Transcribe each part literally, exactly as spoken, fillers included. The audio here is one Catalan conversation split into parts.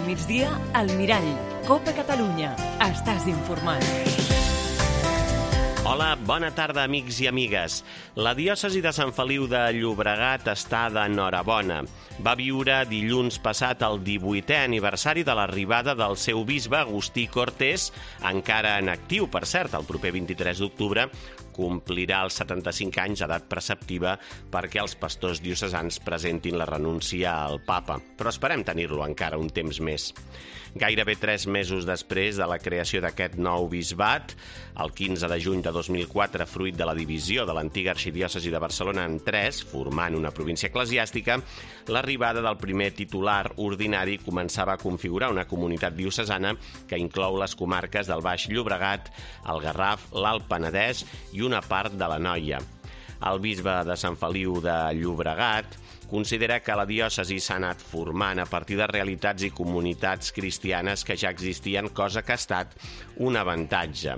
Al migdia, al Mirall. Copa Catalunya. Estàs informat. Hola, bona tarda, amics i amigues. La diòcesi de Sant Feliu de Llobregat està d'enhorabona. Va viure dilluns passat el divuitè aniversari de l'arribada del seu bisbe Agustí Cortés, encara en actiu, per cert, el proper vint-i-tres d'octubre, complirà els setanta-cinc anys d'edat preceptiva perquè els pastors diocesans presentin la renúncia al papa. Però esperem tenir-lo encara un temps més. Gairebé tres mesos després de la creació d'aquest nou bisbat, el quinze de juny de dos mil quatre, fruit de la divisió de l'antiga arxidiòcesi de Barcelona en tres, formant una província eclesiàstica, l'arribada del primer titular ordinari començava a configurar una comunitat diocesana que inclou les comarques del Baix Llobregat, el Garraf, l'Alt Penedès i una part de l'Anoia. El bisbe de Sant Feliu de Llobregat considera que la diòcesi s'ha anat formant a partir de realitats i comunitats cristianes que ja existien, cosa que ha estat un avantatge.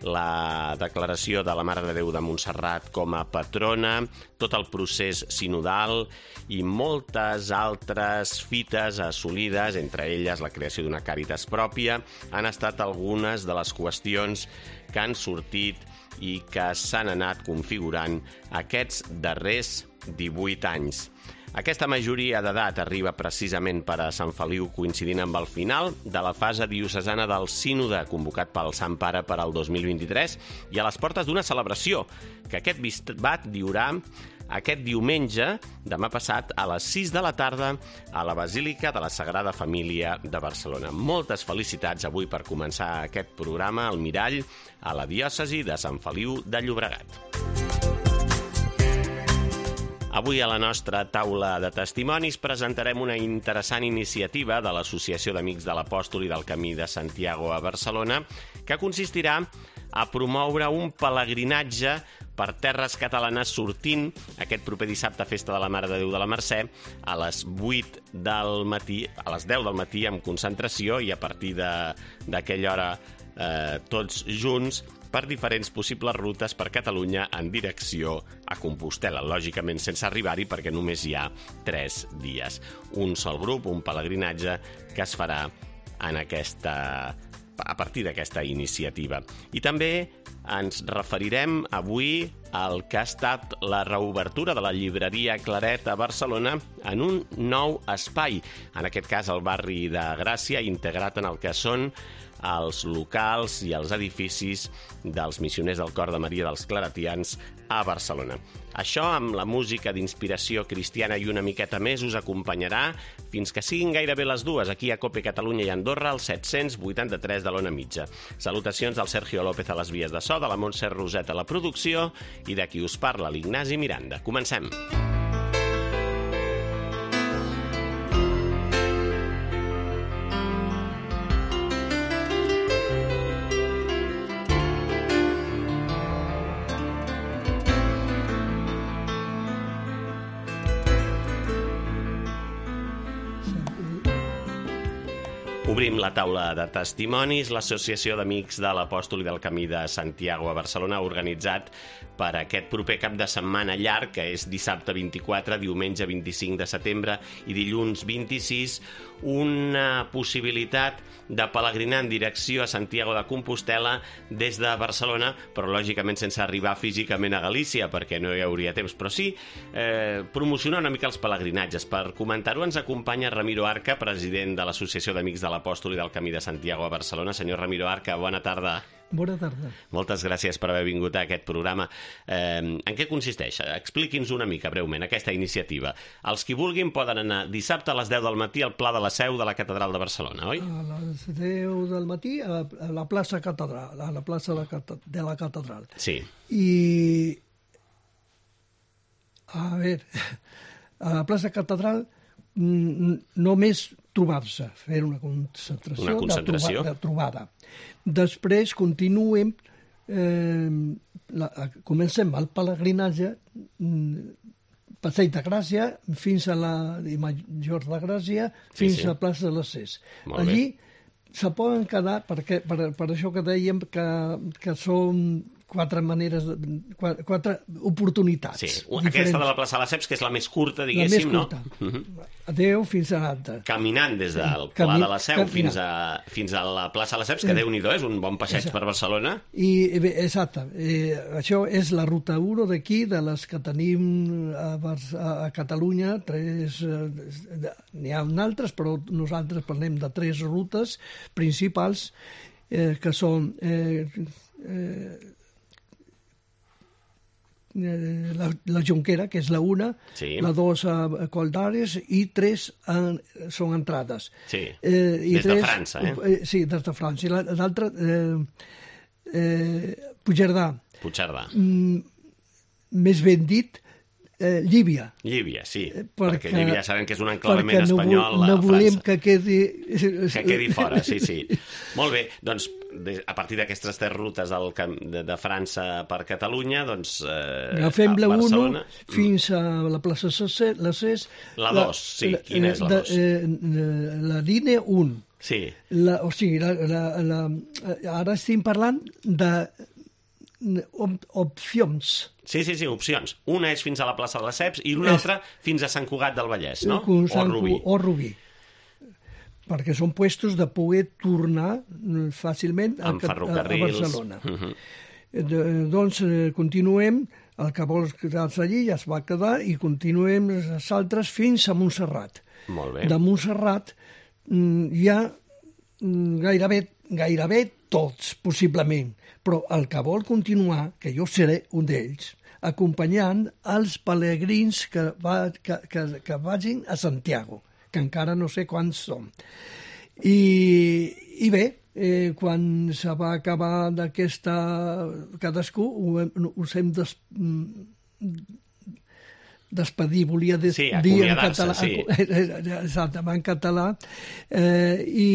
La declaració de la Mare de Déu de Montserrat com a patrona, tot el procés sinodal i moltes altres fites assolides, entre elles la creació d'una càritas pròpia, han estat algunes de les qüestions que han sortit i que s'han anat configurant aquests darrers divuit anys. Aquesta majoria d'edat arriba precisament per a Sant Feliu coincidint amb el final de la fase diocesana del sínode convocat pel Sant Pare per al dos mil vint-i-tres i a les portes d'una celebració que aquest bisbat diurà aquest diumenge, demà passat, a les sis de la tarda a la Basílica de la Sagrada Família de Barcelona. Moltes felicitats avui per començar aquest programa al Mirall a la diòcesi de Sant Feliu de Llobregat. Avui a la nostra taula de testimonis presentarem una interessant iniciativa de l'Associació d'Amics de l'Apòstol i del Camí de Santiago a Barcelona que consistirà a promoure un pelegrinatge per terres catalanes sortint aquest proper dissabte, festa de la Mare de Déu de la Mercè, a les vuit del matí, a les deu del matí amb concentració i a partir d'aquella hora eh, tots junts per diferents possibles rutes per Catalunya en direcció a Compostela, lògicament sense arribar-hi perquè només hi ha tres dies. Un sol grup, un pelegrinatge que es farà en aquesta, a partir d'aquesta iniciativa. I també ens referirem avui al que ha estat la reobertura de la llibreria Claret a Barcelona en un nou espai, en aquest cas el barri de Gràcia, integrat en el que són els locals i els edificis dels missioners del Cor de Maria dels Claretians a Barcelona. Això, amb la música d'inspiració cristiana i una miqueta més, us acompanyarà fins que siguin gairebé les dues, aquí a Cope Catalunya i Andorra, al set-cents vuitanta-tres de l'Ona Mitja. Salutacions del Sergio López a les vies de so, de la Montse Roset a la producció i de qui us parla, l'Ignasi Miranda. Comencem! Obrim la taula de testimonis. L'Associació d'Amics de l'Apòstol i del Camí de Santiago a Barcelona ha organitzat per aquest proper cap de setmana llarg, que és dissabte vint-i-quatre, diumenge vint-i-cinc de setembre i dilluns vint-i-sis, una possibilitat de pelegrinar en direcció a Santiago de Compostela des de Barcelona, però lògicament sense arribar físicament a Galícia, perquè no hi hauria temps, però sí eh, promocionar una mica els pelegrinatges. Per comentar-ho ens acompanya Ramiro Arca, president de l'Associació d'Amics de l'Apòstol i del Camí de Santiago a Barcelona. Senyor Ramiro Arca, bona tarda. Bona tarda. Moltes gràcies per haver vingut a aquest programa. Eh, en què consisteix? Expliqui'ns una mica, breument, aquesta iniciativa. Els qui vulguin poden anar dissabte a les deu del matí al Pla de la Seu de la Catedral de Barcelona, oi? A les deu del matí a la plaça Catedral, a la plaça de la Catedral. Sí. I, a veure, a la plaça Catedral només trobar-se, fer una concentració, una concentració. De, troba, de trobada. Després continuem, eh, la, comencem el pelegrinatge, Passeig de Gràcia, fins a la Major de Gràcia, fins sí, sí. a plaça de les Ses. Allí se poden quedar, perquè, per, per això que dèiem que, que són quatre maneres, de, quatre, quatre oportunitats. Sí, diferents. Aquesta de la plaça de Lesseps, que és la més curta, diguéssim, la més curta. No? Uh-huh. Adéu, fins a l'altra. Caminant des del Pla Camí... de la Seu fins a, fins a la plaça de Lesseps, que Déu-n'hi-do, és un bon passeig per Barcelona. I, exacte, eh, això és la ruta u d'aquí, de les que tenim a, a Catalunya, tres, eh, n'hi ha altres, però nosaltres parlem de tres rutes principals, eh, que són eh, eh, la, la Jonquera, que és la una, sí. la dos a Coll d'Ares i tres en, són entrades. Sí, eh, i des tres, de França, eh? eh? Sí, des de França. I l'altra, eh, eh, Puigcerdà. Puigcerdà. Mm, més ben dit, eh, Llívia. Llívia, sí, perquè, perquè Llívia sabem que és un enclavament no espanyol no a volem França. que quedi... Que quedi fora, sí, sí. Molt bé, doncs a partir d'aquestes tres rutes del, de, de França per Catalunya, doncs eh, agafem la Barcelona... u fins a la plaça la Cés. La dos, sí, la, quina és la dos? Eh, la línia un. Sí. La, o sigui, la, la, la, ara estem parlant de op opcions. Sí, sí, sí, opcions. Una és fins a la plaça de Lesseps i una altra fins a Sant Cugat del Vallès, no? O Rubí. O Rubí. Perquè són puestos de poder tornar fàcilment a, a, a Barcelona. Uh-huh. de, doncs eh, continuem, el que vols quedar-se allí ja es va quedar i continuem els altres fins a Montserrat. Molt bé. De Montserrat hi ha gairebé, gairebé tots, possiblement, però el que vol continuar, que jo seré un d'ells, acompanyant els pelegrins que, va, que, que, que vagin a Santiago, que encara no sé quants són. I, i bé, eh, quan se va acabar d'aquesta... cadascú, ho, us hem des, despedir, volia des, sí, dir en català, sí. exactament, en català, eh, i,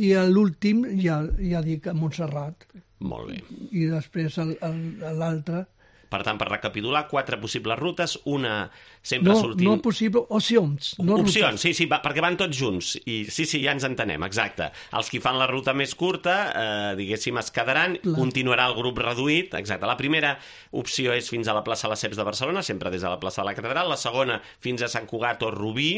i l'últim ja, ja dic a Montserrat. Molt bé. I després l'altre... Per tant, per recapitular, quatre possibles rutes, una sempre no, sortint... No possible, opcions. No opcions, rutes. sí, sí, va, perquè van tots junts. I sí, sí, ja ens entenem, exacte. Els que fan la ruta més curta, eh, diguéssim, es quedaran, Clar. Continuarà el grup reduït, exacte. La primera opció és fins a la plaça Lesseps de Barcelona, sempre des de la plaça de la Catedral. La segona, fins a Sant Cugat o Rubí.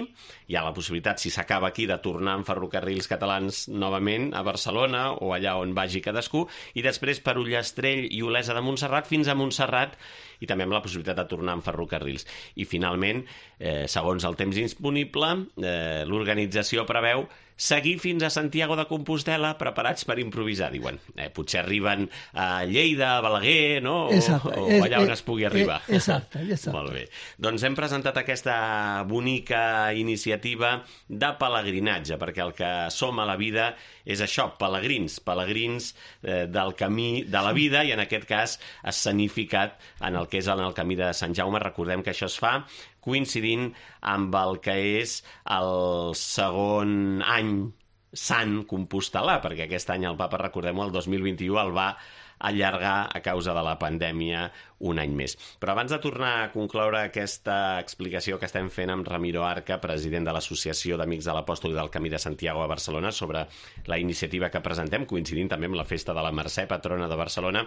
Hi ha la possibilitat, si s'acaba aquí, de tornar en ferrocarrils catalans novament a Barcelona o allà on vagi cadascú. I després per Ullastrell i Olesa de Montserrat fins a Montserrat, i també amb la possibilitat de tornar en ferrocarrils. I finalment, eh, segons el temps disponible, eh, l'organització preveu seguir fins a Santiago de Compostela preparats per improvisar, diuen. Eh, potser arriben a Lleida, a Balaguer, no? O, exacte, o és, allà on es pugui arribar. Exacte, exacte. Molt bé. Doncs hem presentat aquesta bonica iniciativa de pelegrinatge, perquè el que som a la vida és això, pelegrins, pelegrins eh, del camí de la vida, i en aquest cas escenificat en el que és en el camí de Sant Jaume. Recordem que això es fa coincidint amb el que és el segon any sant compostelà, perquè aquest any el Papa, recordem-ho, el dos mil vint-i-u el va allargar a causa de la pandèmia un any més. Però abans de tornar a concloure aquesta explicació que estem fent amb Ramiro Arca, president de l'Associació d'Amics de l'Apòstol i del Camí de Santiago a Barcelona, sobre la iniciativa que presentem, coincidint també amb la festa de la Mercè, patrona de Barcelona,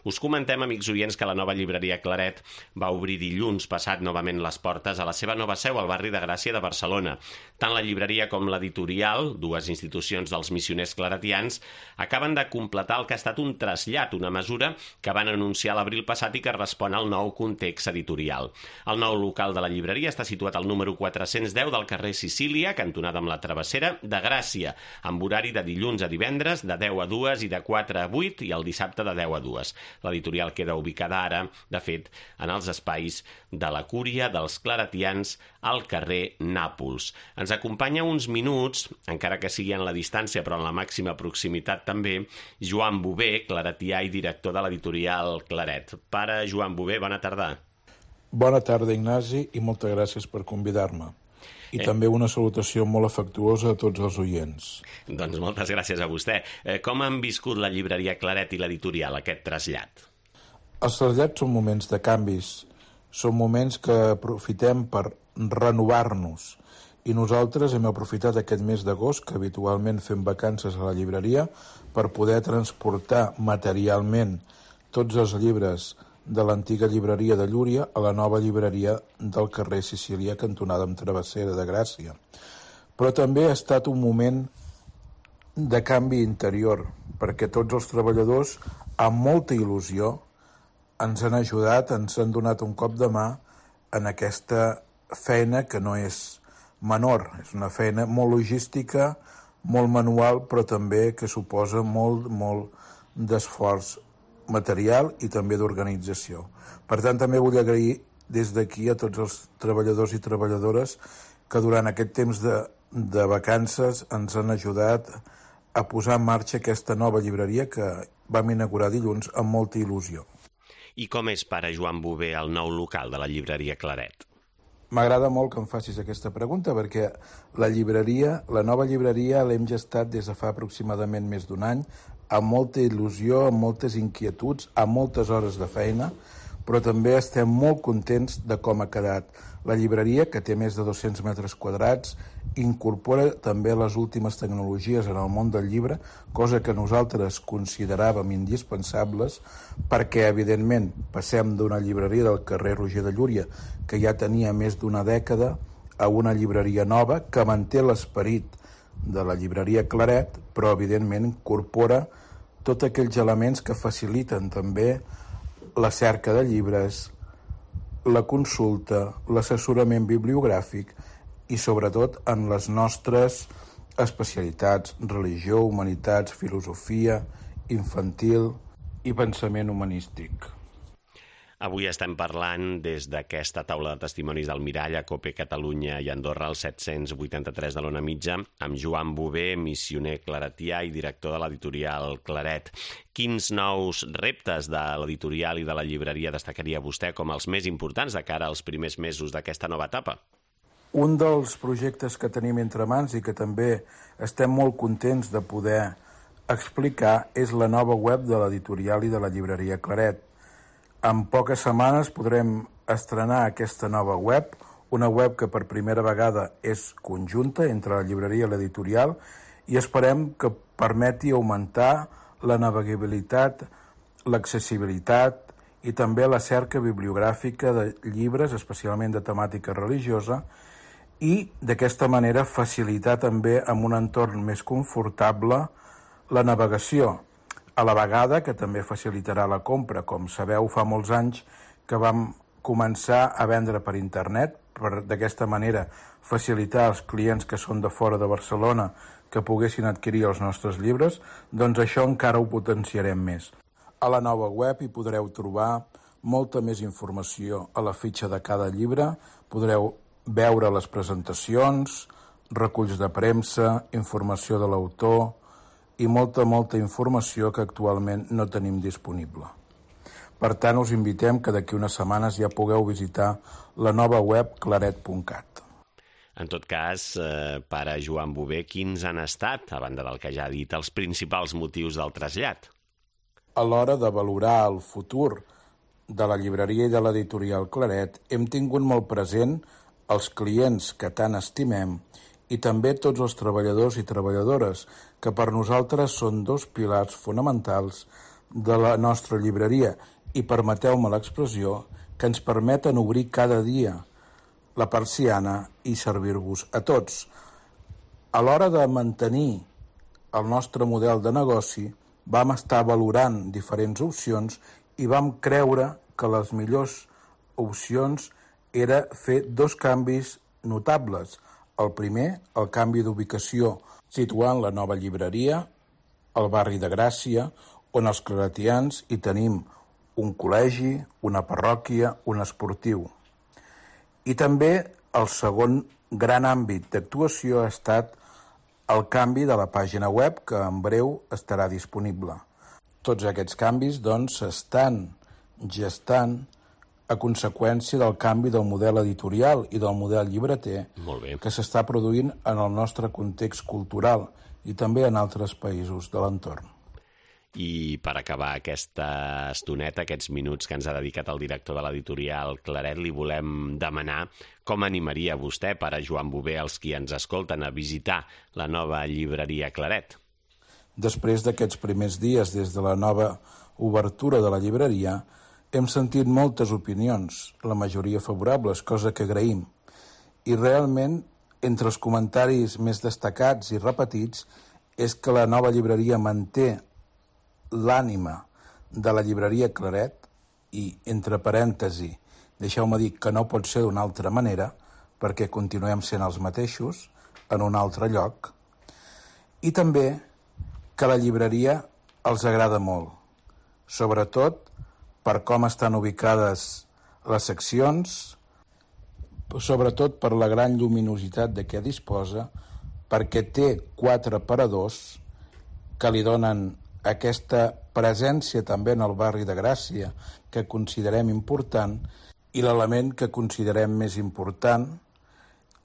us comentem, amics oients, que la nova llibreria Claret va obrir dilluns passat novament les portes a la seva nova seu al barri de Gràcia de Barcelona. Tant la llibreria com l'editorial, dues institucions dels missioners claretians, acaben de completar el que ha estat un trasllat, una mesura que van anunciar l'abril passat i que respon al nou context editorial. El nou local de la llibreria està situat al número quatre-cents deu del carrer Sicília, cantonada amb la Travessera, de Gràcia, amb horari de dilluns a divendres de deu a dues i de quatre a vuit i el dissabte de deu a dues. L'editorial queda ubicada ara, de fet, en els espais de la Cúria dels Claretians al carrer Nàpols. Ens acompanya uns minuts, encara que sigui en la distància però en la màxima proximitat també, Joan Bové, claretià i director de l'editorial Claret. Pare Joan Bové, bona tarda. Bona tarda, Ignasi, i moltes gràcies per convidar-me. I eh. també una salutació molt afectuosa a tots els oients. Doncs moltes gràcies a vostè. Eh, com han viscut la llibreria Claret i l'editorial, aquest trasllat? Els trasllats són moments de canvis, són moments que aprofitem per renovar-nos. I nosaltres hem aprofitat aquest mes d'agost, que habitualment fem vacances a la llibreria, per poder transportar materialment tots els llibres de l'antiga llibreria de Llúria a la nova llibreria del carrer Sicília, cantonada amb Travessera de Gràcia. Però també ha estat un moment de canvi interior, perquè tots els treballadors, amb molta il·lusió, ens han ajudat, ens han donat un cop de mà en aquesta feina que no és menor. És una feina molt logística, molt manual, però també que suposa molt, molt d'esforç material i també d'organització. Per tant, també vull agrair des d'aquí a tots els treballadors i treballadores que durant aquest temps de, de vacances ens han ajudat a posar en marxa aquesta nova llibreria que vam inaugurar dilluns amb molta il·lusió. I com és, pare Joan Bové, el nou local de la llibreria Claret? M'agrada molt que em facis aquesta pregunta perquè la llibreria, la nova llibreria l'hem gestat des de fa aproximadament més d'un any amb molta il·lusió, amb moltes inquietuds, amb moltes hores de feina, però també estem molt contents de com ha quedat. La llibreria, que té més de dos-cents metres quadrats, incorpora també les últimes tecnologies en el món del llibre, cosa que nosaltres consideràvem indispensables perquè, evidentment, passem d'una llibreria del carrer Roger de Llúria, que ja tenia més d'una dècada, a una llibreria nova que manté l'esperit de la llibreria Claret, però evidentment incorpora tots aquells elements que faciliten també la cerca de llibres, la consulta, l'assessorament bibliogràfic i sobretot en les nostres especialitats, religió, humanitats, filosofia, infantil i pensament humanístic. Avui estem parlant des d'aquesta taula de testimonis del Mirall a Cope Catalunya i Andorra, al set-cents vuitanta-tres de l'Ona Mitja, amb Joan Bové, missioner claretià i director de l'editorial Claret. Quins nous reptes de l'editorial i de la llibreria destacaria vostè com els més importants de cara als primers mesos d'aquesta nova etapa? Un dels projectes que tenim entre mans i que també estem molt contents de poder explicar és la nova web de l'editorial i de la llibreria Claret. En poques setmanes podrem estrenar aquesta nova web, una web que per primera vegada és conjunta entre la llibreria i l'editorial i esperem que permeti augmentar la navegabilitat, l'accessibilitat i també la cerca bibliogràfica de llibres, especialment de temàtica religiosa, i d'aquesta manera facilitar també amb un entorn més confortable la navegació, a la vegada que també facilitarà la compra. Com sabeu, fa molts anys que vam començar a vendre per internet, per d'aquesta manera facilitar als clients que són de fora de Barcelona que poguessin adquirir els nostres llibres, doncs això encara ho potenciarem més. A la nova web hi podreu trobar molta més informació a la fitxa de cada llibre, podreu veure les presentacions, reculls de premsa, informació de l'autor i molta, molta informació que actualment no tenim disponible. Per tant, us invitem que d'aquí unes setmanes ja pugueu visitar la nova web claret punt cat. En tot cas, eh, pare Joan Bové, quins han estat, a banda del que ja ha dit, els principals motius del trasllat? A l'hora de valorar el futur de la llibreria i de l'editorial Claret, hem tingut molt present els clients que tant estimem i també tots els treballadors i treballadores, que per nosaltres són dos pilars fonamentals de la nostra llibreria i, permeteu-me l'expressió, que ens permeten obrir cada dia la persiana i servir-vos a tots. A l'hora de mantenir el nostre model de negoci, vam estar valorant diferents opcions i vam creure que les millors opcions era fer dos canvis notables. El primer, el canvi d'ubicació, situant la nova llibreria al barri de Gràcia, on els claretians hi tenim un col·legi, una parròquia, un esportiu. I també el segon gran àmbit d'actuació ha estat el canvi de la pàgina web, que en breu estarà disponible. Tots aquests canvis, doncs, s'estan gestant a conseqüència del canvi del model editorial i del model llibreter que s'està produint en el nostre context cultural i també en altres països de l'entorn. I per acabar aquesta estoneta, aquests minuts que ens ha dedicat el director de l'editorial Claret, li volem demanar com animaria vostè, pare Joan Bové, els qui ens escolten a visitar la nova llibreria Claret. Després d'aquests primers dies des de la nova obertura de la llibreria, hem sentit moltes opinions, la majoria favorables, cosa que agraïm. I realment, entre els comentaris més destacats i repetits, és que la nova llibreria manté l'ànima de la llibreria Claret i, entre parèntesi, deixeu-me dir que no pot ser d'una altra manera, perquè continuem sent els mateixos, en un altre lloc, i també que la llibreria els agrada molt, sobretot per com estan ubicades les seccions, sobretot per la gran lluminositat de què disposa, perquè té quatre aparadors que li donen aquesta presència també en el barri de Gràcia que considerem important, i l'element que considerem més important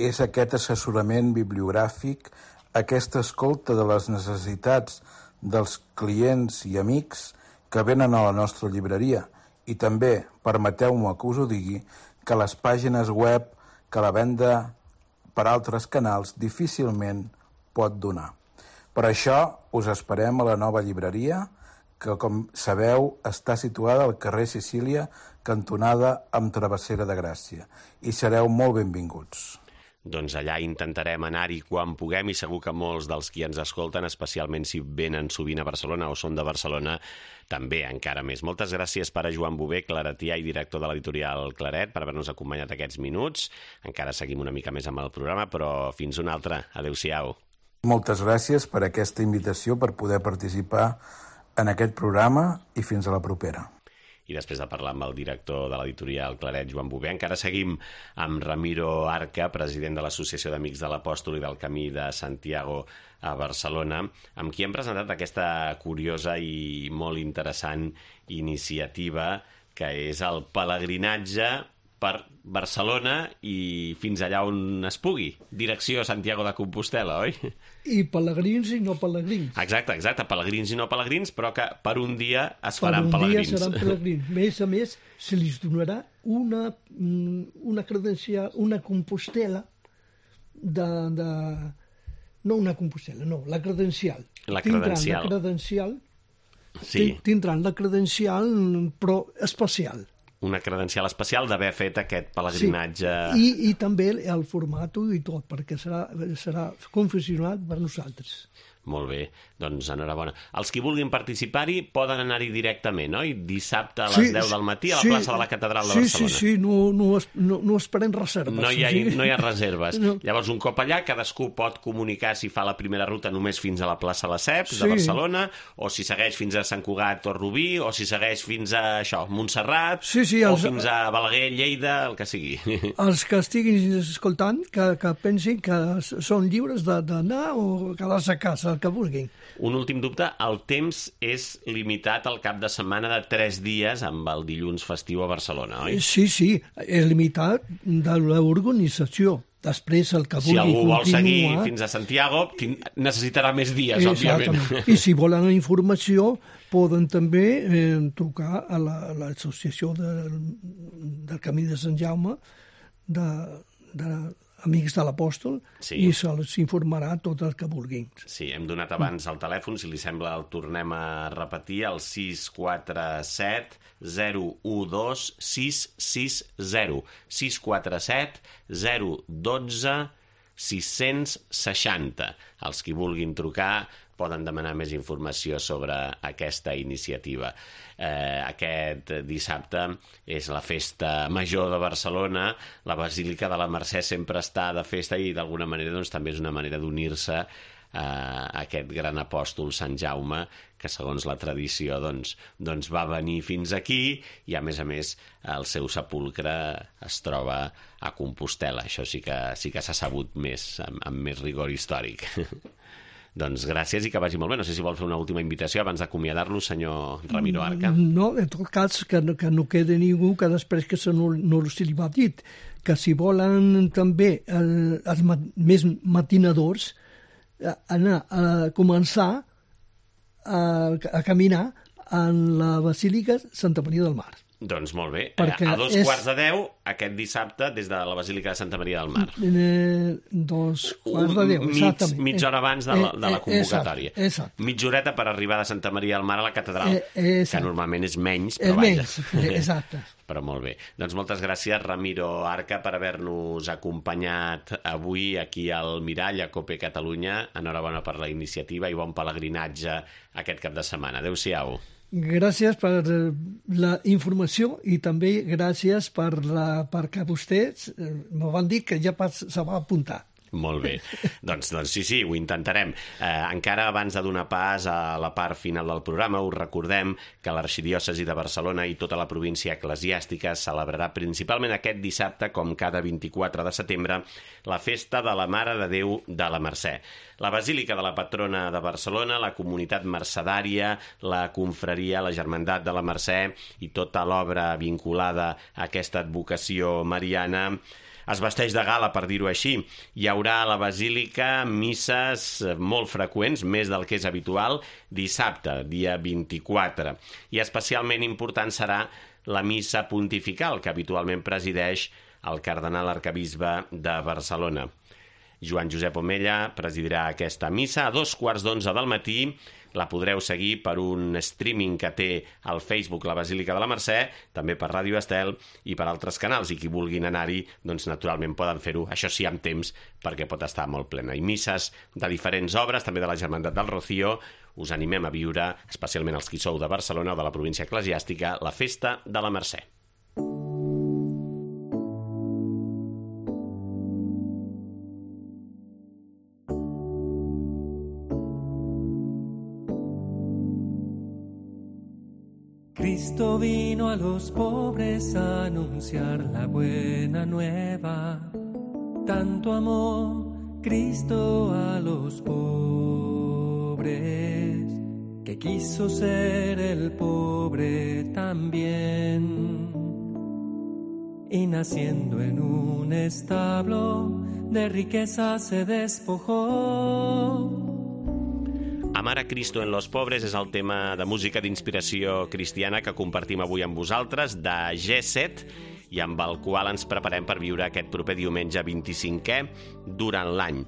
és aquest assessorament bibliogràfic, aquesta escolta de les necessitats dels clients i amics que venen a la nostra llibreria, i també, permeteu-me que us ho digui, que les pàgines web, que la venda per altres canals difícilment pot donar. Per això us esperem a la nova llibreria, que, com sabeu, està situada al carrer Sicília, cantonada amb Travessera de Gràcia, i sereu molt benvinguts. Doncs allà intentarem anar-hi quan puguem, i segur que molts dels qui ens escolten, especialment si venen sovint a Barcelona o són de Barcelona, també encara més. Moltes gràcies, pare Joan Bové, claretià i director de l'editorial Claret, per haver-nos acompanyat aquests minuts. Encara seguim una mica més amb el programa, però fins una altra. Adéu-siau. Moltes gràcies per aquesta invitació, per poder participar en aquest programa, i fins a la propera. I després de parlar amb el director de l'editorial Claret, Joan Bové, encara seguim amb Ramiro Arca, president de l'Associació d'Amics de l'Apòstol i del Camí de Santiago a Barcelona, amb qui hem presentat aquesta curiosa i molt interessant iniciativa que és el pelegrinatge per Barcelona i fins allà on es pugui. Direcció Santiago de Compostela, oi? I pelegrins i no pelegrins. Exacte, exacte, pelegrins i no pelegrins, però que per un dia es faran pelegrins. Per un dia seran pelegrins. A més a més, se li donarà una, una credencial, una Compostela de, de... No una Compostela, no, la credencial. La credencial. Tindran la credencial, sí. Tindran la credencial, però especial. Una credencial especial d'haver fet aquest pelegrinatge. Sí. I, i també el format i tot, perquè serà, serà confessionat per nosaltres. Molt bé, doncs enhorabona. Els qui vulguin participar-hi poden anar-hi directament, oi? Dissabte a les sí, deu del matí a la sí, plaça de la Catedral de sí, Barcelona. Sí, sí, no, no, no, no esperem reserves. No hi ha, sí. no hi ha reserves. No. Llavors, un cop allà, cadascú pot comunicar si fa la primera ruta només fins a la plaça Lesseps sí. de Barcelona, o si segueix fins a Sant Cugat o Rubí, o si segueix fins a això, Montserrat, sí, sí, els... o fins a Balaguer, Lleida, el que sigui. Els que estiguin escoltant, que, que pensin que són lliures d'anar o quedar-se a casa, el que vulguin. Un últim dubte, el temps és limitat al cap de setmana de tres dies amb el dilluns festiu a Barcelona, oi? Sí, sí, és limitat de l'organització. Després, el que vulgui continuar... Si algú vol seguir fins a Santiago, necessitarà més dies, òbviament. I si volen informació, poden també eh, trucar a l'Associació la, del, del Camí de Sant Jaume, de, de Amics de l'Apòstol, sí. I se'ls informarà tot el que vulguin. Sí, hem donat abans el telèfon, si li sembla el tornem a repetir, el sis quatre set zero u dos sis sis zero. sis quatre set zero u dos sis sis zero. Els qui vulguin trucar poden demanar més informació sobre aquesta iniciativa. Eh, aquest dissabte és la festa major de Barcelona, la Basílica de la Mercè sempre està de festa i d'alguna manera doncs, també és una manera d'unir-se a aquest gran apòstol Sant Jaume, que segons la tradició doncs, doncs va venir fins aquí i a més a més el seu sepulcre es troba a Compostela. Això sí que, sí que s'ha sabut més, amb, amb més rigor històric. Doncs gràcies i que vagi molt bé. No sé si vol fer una última invitació abans d'acomiadar-lo, senyor Ramiro Arca. No, en tot cas, que, que no quede ningú que després que se no, no se li va dit, que si volen també el, els mat, més matinadors anar a començar a, a caminar en la Basílica Santa Maria del Mar. Doncs molt bé. Perquè A dos és- quarts de deu, aquest dissabte, des de la Basílica de Santa Maria del Mar. Eh, dos quarts de deu, Mig, exactament. mitja hora abans de la, de la Eh, eh, convocatòria. Exacte, exacte. Mitja horeta per arribar de Santa Maria del Mar a la catedral, Eh, eh, exacte. que normalment és menys, És però vaja. menys, eh, exacte. Però molt bé. Doncs moltes gràcies, Ramiro Arca, per haver-nos acompanyat avui aquí al Mirall, a Cope Catalunya. Enhorabona per la iniciativa i bon pelegrinatge aquest cap de setmana. Adéu-siau. Gràcies per eh, la informació i també gràcies per la, perquè vostès eh, me van dir que ja pas, se va apuntar. Molt bé. Doncs, doncs sí, sí, ho intentarem. Eh, encara abans de donar pas a la part final del programa, us recordem que l'Arxidiòcesi de Barcelona i tota la província eclesiàstica celebrarà principalment aquest dissabte, com cada vint-i-quatre de setembre, la festa de la Mare de Déu de la Mercè. La Basílica de la Patrona de Barcelona, la comunitat mercedària, la confraria, la Germandat de la Mercè i tota l'obra vinculada a aquesta advocació mariana es vesteix de gala, per dir-ho així. Hi haurà a la Basílica misses molt freqüents, més del que és habitual, dissabte, dia vint-i-quatre. I especialment important serà la missa pontifical, que habitualment presideix el cardenal arcabisbe de Barcelona. Joan Josep Omella presidirà aquesta missa a dos quarts d'onze del matí. La podreu seguir per un streaming que té al Facebook la Basílica de la Mercè, també per Ràdio Estel i per altres canals, i qui vulguin anar-hi, doncs naturalment poden fer-ho, això sí, amb temps, perquè pot estar molt plena. I misses de diferents obres, també de la Germandat del Rocío. Us animem a viure, especialment els qui sou de Barcelona o de la província eclesiàstica, la Festa de la Mercè. Cristo vino a los pobres a anunciar la buena nueva. Tanto amó Cristo a los pobres, que quiso ser el pobre también. Y naciendo en un establo, de riqueza se despojó. Amar a Cristo en los pobres és el tema de música d'inspiració cristiana que compartim avui amb vosaltres, de G set, i amb el qual ens preparem per viure aquest proper diumenge vint-i-cinquè durant l'any.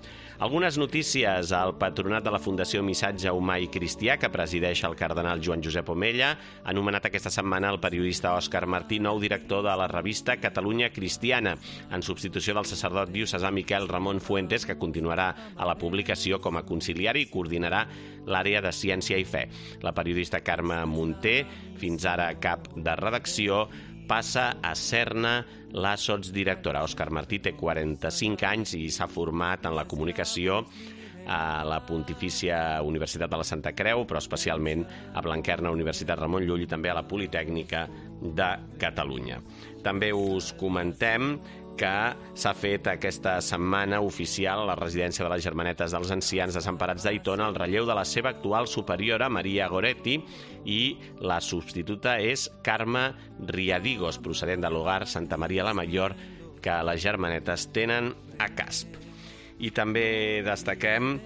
Algunes notícies. El patronat de la Fundació Missatge Humà i Cristià, que presideix el cardenal Joan Josep Omella, ha anomenat aquesta setmana el periodista Òscar Martí nou director de la revista Catalunya Cristiana, en substitució del sacerdot diocesà Miquel Ramon Fuentes, que continuarà a la publicació com a conciliari i coordinarà l'àrea de ciència i fe. La periodista Carme Munté, fins ara cap de redacció, passa a ser-ne la sotsdirectora. Òscar Martí té quaranta-cinc anys i s'ha format en la comunicació a la Pontifícia Universitat de la Santa Creu, però especialment a Blanquerna, Universitat Ramon Llull, i també a la Politècnica de Catalunya. També us comentem que s'ha fet aquesta setmana oficial a la residència de les Germanetes dels Ancians Desemparats d'Aitona el relleu de la seva actual superiora, Maria Goretti, i la substituta és Carme Riadigos, procedent de l'hogar Santa Maria la Mayor, que les Germanetes tenen a Casp. I també destaquem,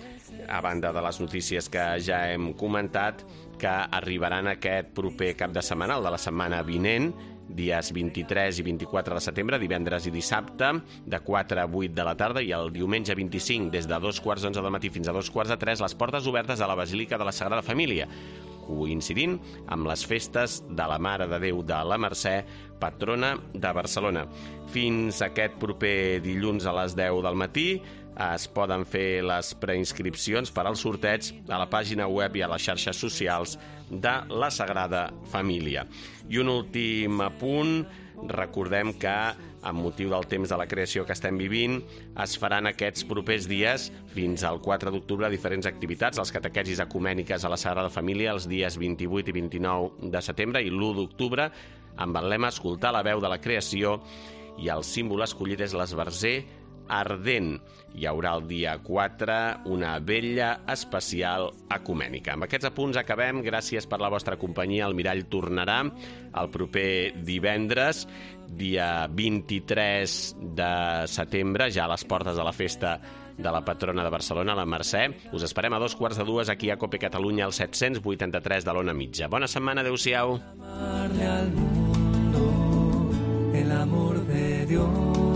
a banda de les notícies que ja hem comentat, que arribaran aquest proper cap de setmana, el de la setmana vinent, dies vint-i-tres i vint-i-quatre de setembre, divendres i dissabte, de quatre a vuit de la tarda, i el diumenge vint-i-cinc, des de dos quarts d'onze del matí fins a dos quarts de tres, les portes obertes a la Basílica de la Sagrada Família, coincidint amb les festes de la Mare de Déu de la Mercè, patrona de Barcelona. Fins aquest proper dilluns a les deu del matí es poden fer les preinscripcions per als sorteig a la pàgina web i a les xarxes socials de la Sagrada Família. I un últim apunt, recordem que, amb motiu del temps de la creació que estem vivint, es faran aquests propers dies, fins al quatre d'octubre, diferents activitats, les catequesis ecumèniques a la Sagrada Família els dies vint-i-vuit i vint-i-nou de setembre, i l'u d'octubre, amb el lema Escoltar la veu de la creació, i el símbol escollit és l'esbarzer ardent. Hi haurà el dia quatre una vetlla especial ecumènica. Amb aquests apunts acabem. Gràcies per la vostra companyia. El Mirall tornarà el proper divendres, dia vint-i-tres de setembre, ja a les portes de la festa de la patrona de Barcelona, la Mercè. Us esperem a dos quarts de dues aquí a Cope Catalunya, al set-cents vuitanta-tres de l'Ona Mitja. Bona setmana, adeu-siau. Al mundo el amor de Dios.